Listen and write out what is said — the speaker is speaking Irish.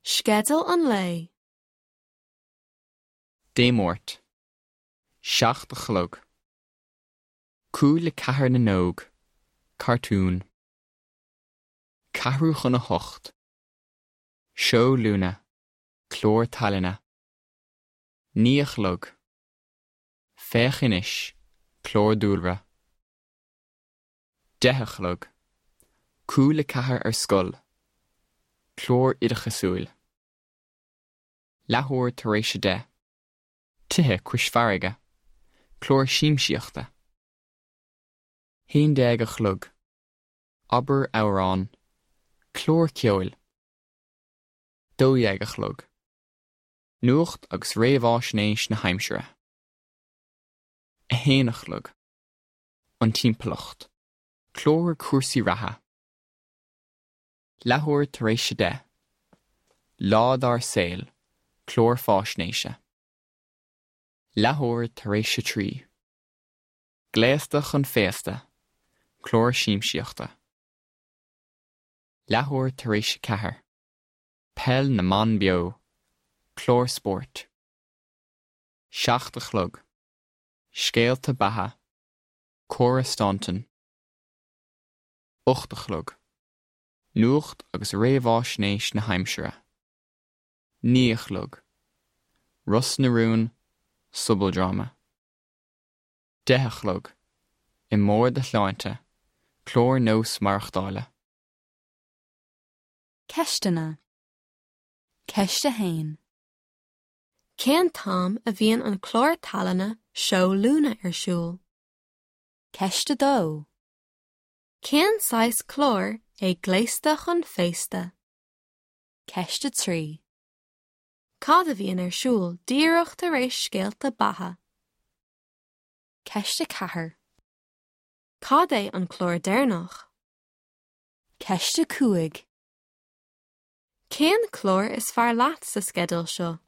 Sceideal an lae. Dé Máirt. 7 a chlog. 3:45 na nÓg. Cartún. 7:45. Seó Luna. Clár tallainne. 9 a chlog. Féach Anois, clár dúlra. 10 a chlog. 3:45 ar scoil. Clár oideachasúil. 10:15. Tithe cois farraige. Clár siamsaíochta. 11 a chlog. Abair amhrán. Clár ceoil. 12 a chlog. Nuacht agus réamháisnéis na haimsire. 1 a chlog. An timpeallacht. Clár cúrsaí reatha. 10:30. Lá dár saol. Clár fáisnéise. 3:30. Gléasta chun féasta. Clár siamsaíochta. 4:15. Peil na mBan Beo. Clár spóirt. 7 a chlog. Scéalta beatha. Cora Staunton. 8 a chlog. Nuacht agus réamháisnéis na haimsire. 9 a chlog. Ros na Rún, Sobaldráma. 10 a chlog. I mBarr do Shláinte, clár nós maireachtála. Ceisteanna. Ceist 1. Cén t-am a bhíonn an clár tallainne Seó Luna ar siúl? Ceist 2. Cén saghas cláir é Gléasta chun Féasta? Ceist 3. Cad a bhíonn ar siúl díreach tar éis Scéalta Beatha? Ceist 4. Cad é an clár deireanach? Ceist 5. Cén clár is fearr leat sa sceideal seo?